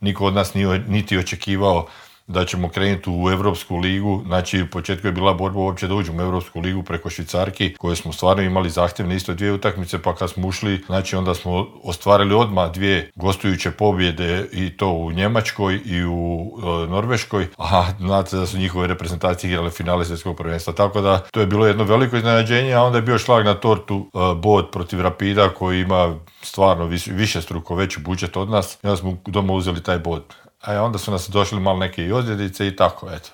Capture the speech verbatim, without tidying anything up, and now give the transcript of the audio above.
niko od nas nije, niti očekivao da ćemo krenuti u Europsku ligu. Znači, u početku je bila borba uopće da uđemo u Europsku ligu preko Švicarki, koje smo stvarno imali zahtjevne isto dvije utakmice, pa kad smo ušli, znači onda smo ostvarili odmah dvije gostujuće pobjede i to u Njemačkoj i u e, Norveškoj, a znate da su njihove reprezentacije igrale finale svjetskog prvenstva, tako da to je bilo jedno veliko iznenađenje, a onda je bio šlag na tortu e, bod protiv Rapida koji ima stvarno više, više struko veći budžet od nas i onda smo doma uzeli taj bod. A onda su nas došli malo neke i ozljedice i tako, eto.